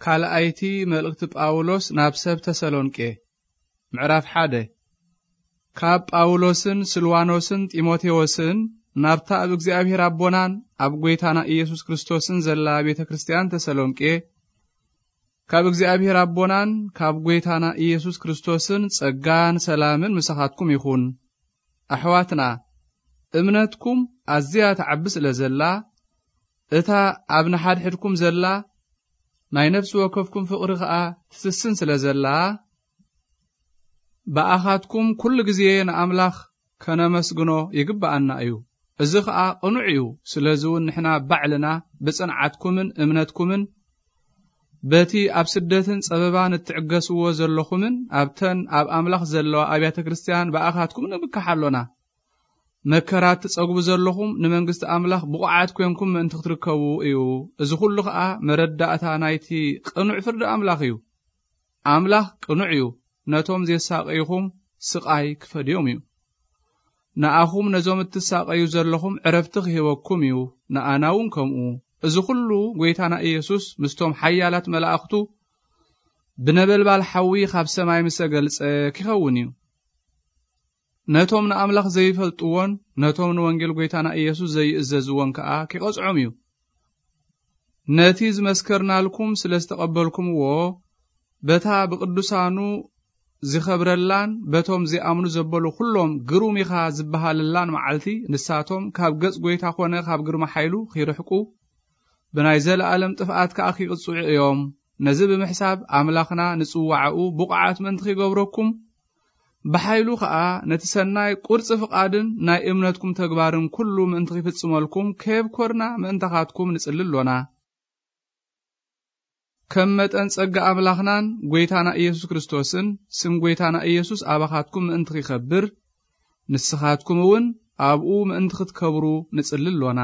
ካልኣይቲ መልእኽቲ ጳውሎስ ናብ ሰብ ተሰሎንቄ። ምዕራፍ ሓደ። ካብ ጳውሎስን ስልዋኖስን ጢሞቴዎስን ናብታ ኣብ እግዚኣብሔር ኣቦናን ኣብ ጐይታና ኢየሱስ ክርስቶስን ዘላ ቤተ ክርስቲያን ተሰሎንቄ፣ ካብ እግዚኣብሔር ኣቦናን ካብ ጐይታና ኢየሱስ ክርስቶስን ጸጋን ሰላምን ምሳኻትኩም ይኹን። ኣሕዋትና፣ እምነትኩም ኣዝያ ትዓቢ ስለ ዘላ፣ እታ ኣብ ንሓድሕድኩም ዘላ ናይ ነፍሲ ወከፍኩም ፍቕሪ ኸኣ ትስስን ስለ ዘላ፣ ብኣኻትኩም ኩሉ ግዜ ንኣምላኽ ከነመስግኖ ይግብኣና እዩ። እዚ ኸኣ ቅኑዕ እዩ። ስለዚ እውን ንሕና ባዕልና ብጽንዓትኩምን እምነትኩምን በቲ ኣብ ስደትን ጸበባን እትዕገስዎ ዘለኹምን ኣብተን ኣብ ኣምላኽ ዘለዋ ኣብያተ ክርስቲያን ብኣኻትኩም ንብካሕ ኣሎና። መከራ እትጸግቡ ዘለኹም ንመንግስቲ ኣምላኽ ብቑዓት ኮንኩም ምእንቲ ክትርከቡ እዩ። እዚ ኹሉ ኸኣ መረዳእታ ናይቲ ቅኑዕ ፍርዲ ኣምላኽ እዩ። ኣምላኽ ቅኑዕ እዩ። ነቶም ዜሳቐይኹም ስቓይ ክፈድዮም እዩ። ንኣኹም ነዞም እትሳቐዩ ዘለኹም ዕረፍቲ ክህበኩም እዩ። ንኣና እውን ከምኡ። እዚ ኹሉ ጐይታና ኢየሱስ ምስቶም ሓያላት መላእኽቱ ብነበልባል ሓዊ ካብ ሰማይ ምስ ተገልጸ ኪኸውን እዩ። ነቶም ንኣምላኽ ዘይፈልጥዎን ነቶም ንወንጌል ጐይታና ኢየሱስ ዘይእዘዝዎን ከኣ ኪቐጽዖም እዩ። ነቲ ዝመስከርናልኩም ስለ ዝተቐበልኩምዎ፣ በታ ብቅዱሳኑ ዝኸብረላን በቶም ዚኣምኑ ዘበሉ ኩሎም ግሩም ኢኻ ዝበሃለላን መዓልቲ፣ ንሳቶም ካብ ገጽ ጐይታ ኾነ ካብ ግርማ ሓይሉ ኺርሕቁ፣ ብናይ ዘለኣለም ጥፍኣት ከኣ ኺቕጽዑ እዮም። ነዚ ብምሕሳብ ኣምላኽና ንጽዋዕኡ ብቑዓት ምእንቲ ኺገብረኩም፣ ብሓይሉ ኸኣ ነቲ ሰናይ ቁርጺ ፍቓድን ናይ እምነትኩም ተግባርን ኩሉ ምእንቲ ኺፍጽመልኩም፣ ከየብኮርና ምእንታኻትኩም ንጽሊ ኣሎና። ከም መጠን ጸጋ ኣምላኽናን ጐይታና ኢየሱስ ክርስቶስን፣ ስም ጐይታና ኢየሱስ ኣባኻትኩም ምእንቲ ኺኸብር፣ ንስኻትኩም እውን ኣብኡ ምእንቲ ኽትከብሩ ንጽሊ ኣሎና።